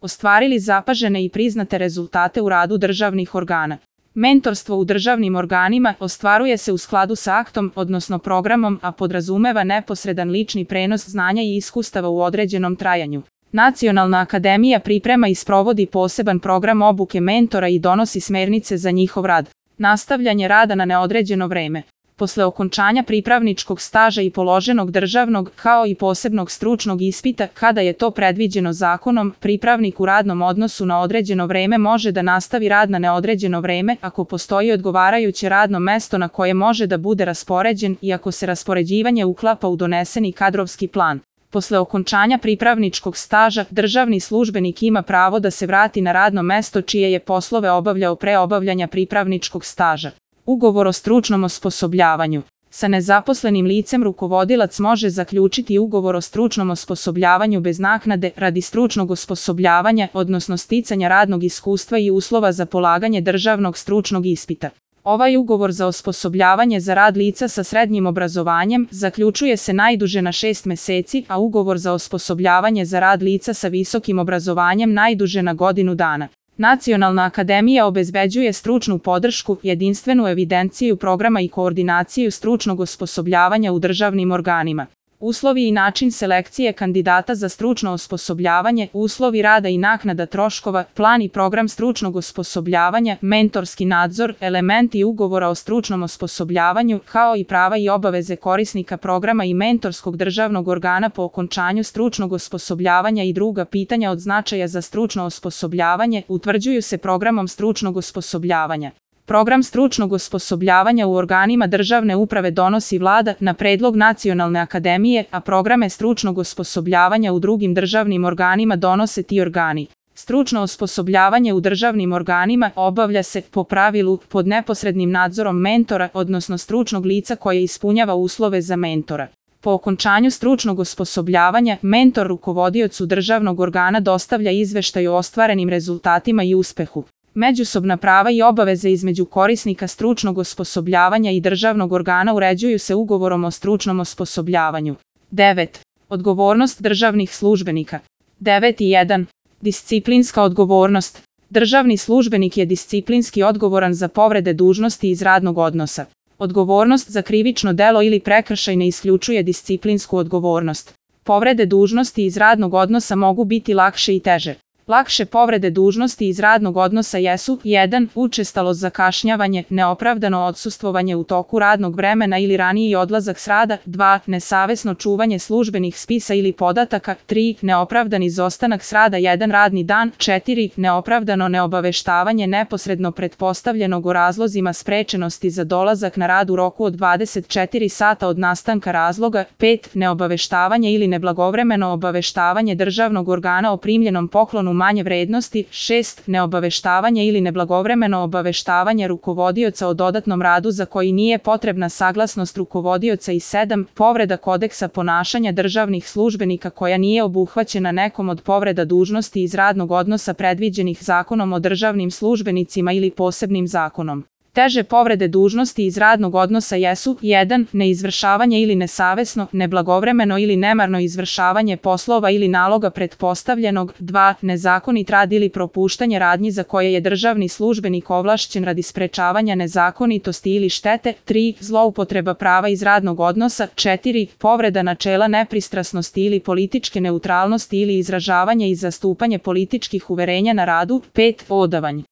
ostvarili zapažene i priznate rezultate u radu državnih organa. Mentorstvo u državnim organima ostvaruje se u skladu sa aktom, odnosno programom, a podrazumeva neposredan lični prenos znanja i iskustava u određenom trajanju. Nacionalna akademija priprema i sprovodi poseban program obuke mentora i donosi smernice za njihov rad. Nastavljanje rada na neodređeno vreme. Posle okončanja pripravničkog staža i položenog državnog, kao i posebnog stručnog ispita, kada je to predviđeno zakonom, pripravnik u radnom odnosu na određeno vreme može da nastavi rad na neodređeno vreme ako postoji odgovarajuće radno mesto na koje može da bude raspoređen i ako se raspoređivanje uklapa u doneseni kadrovski plan. Posle okončanja pripravničkog staža, državni službenik ima pravo da se vrati na radno mesto čije je poslove obavljao pre obavljanja pripravničkog staža. Ugovor o stručnom osposobljavanju. Sa nezaposlenim licem rukovodilac može zaključiti ugovor o stručnom osposobljavanju bez naknade radi stručnog osposobljavanja, odnosno sticanja radnog iskustva i uslova za polaganje državnog stručnog ispita. Ovaj ugovor za osposobljavanje za rad lica sa srednjim obrazovanjem zaključuje se najduže na 6 meseci, a ugovor za osposobljavanje za rad lica sa visokim obrazovanjem najduže na godinu dana. Nacionalna akademija obezbeđuje stručnu podršku, jedinstvenu evidenciju programa i koordinaciju stručnog osposobljavanja u državnim organima. Uslovi i način selekcije kandidata za stručno osposobljavanje, uslovi rada i naknada troškova, plan i program stručnog osposobljavanja, mentorski nadzor, elementi ugovora o stručnom osposobljavanju, kao i prava i obaveze korisnika programa i mentorskog državnog organa po okončanju stručnog osposobljavanja i druga pitanja od značaja za stručno osposobljavanje, utvrđuju se programom stručnog osposobljavanja. Program stručnog osposobljavanja u organima državne uprave donosi Vlada na predlog Nacionalne akademije, a programe stručnog osposobljavanja u drugim državnim organima donose ti organi. Stručno osposobljavanje u državnim organima obavlja se, po pravilu, pod neposrednim nadzorom mentora, odnosno stručnog lica koje ispunjava uslove za mentora. Po okončanju stručnog osposobljavanja, mentor rukovodiocu državnog organa dostavlja izveštaj o ostvarenim rezultatima i uspehu. Međusobna prava i obaveze između korisnika stručnog osposobljavanja i državnog organa uređuju se ugovorom o stručnom osposobljavanju. 9. Odgovornost državnih službenika. 9.1. Disciplinska odgovornost. Državni službenik je disciplinski odgovoran za povrede dužnosti iz radnog odnosa. Odgovornost za krivično delo ili prekršaj ne isključuje disciplinsku odgovornost. Povrede dužnosti iz radnog odnosa mogu biti lakše i teže. Lakše povrede dužnosti iz radnog odnosa jesu 1. Učestalost zakašnjavanje, neopravdano odsustvovanje u toku radnog vremena ili raniji odlazak s rada, 2. Nesavesno čuvanje službenih spisa ili podataka, 3. Neopravdani izostanak s rada 1 radni dan, 4. Neopravdano neobaveštavanje neposredno pretpostavljenog o razlozima sprečenosti za dolazak na rad u roku od 24 sata od nastanka razloga, 5. Neobaveštavanje ili neblagovremeno obaveštavanje državnog organa o primljenom poklonu manje vrednosti, 6. Neobaveštavanje ili neblagovremeno obaveštavanje rukovodioca o dodatnom radu za koji nije potrebna saglasnost rukovodioca i 7. Povreda kodeksa ponašanja državnih službenika koja nije obuhvaćena nekom od povreda dužnosti iz radnog odnosa predviđenih Zakonom o državnim službenicima ili posebnim zakonom. Teže povrede dužnosti iz radnog odnosa jesu 1. Neizvršavanje ili nesavesno, neblagovremeno ili nemarno izvršavanje poslova ili naloga pretpostavljenog, 2. Nezakonit rad ili propuštanje radnji za koje je državni službenik ovlašćen radi sprečavanja nezakonitosti ili štete, 3. Zloupotreba prava iz radnog odnosa, 4. Povreda načela nepristrasnosti ili političke neutralnosti ili izražavanje i zastupanje političkih uverenja na radu, 5. Odavanje.